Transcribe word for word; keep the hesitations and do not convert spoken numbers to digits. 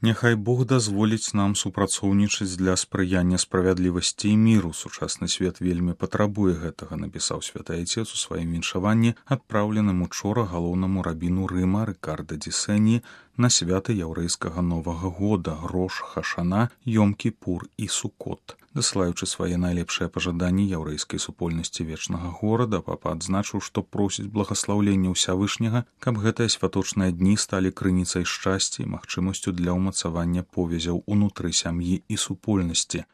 Няхай Бог дазволіць нам супрацоўнічаць для спрыяння справядлівасці і міру. Сучасны свет вельмі патрабуе гэтага, напісаў святы айцец у сваім віншаванні, адпраўленым учора галоўнаму рабіну Рыма Рыкарда ді Сені на святы яўрэйскага Новага года, Рош Хашана, Йом-Кіпур і Сукот. Дасылаючы свае найлепшыя пажаданні яўрэйскай супольнасці вечнага горада, папа адзначыў, што просіць благаслаўлення ўсявышняга, каб гэтыя святочныя дні сталі крыніцай шчасця і магчымасцю для ўмацавання повязяў унутры сям'і і супольнасці.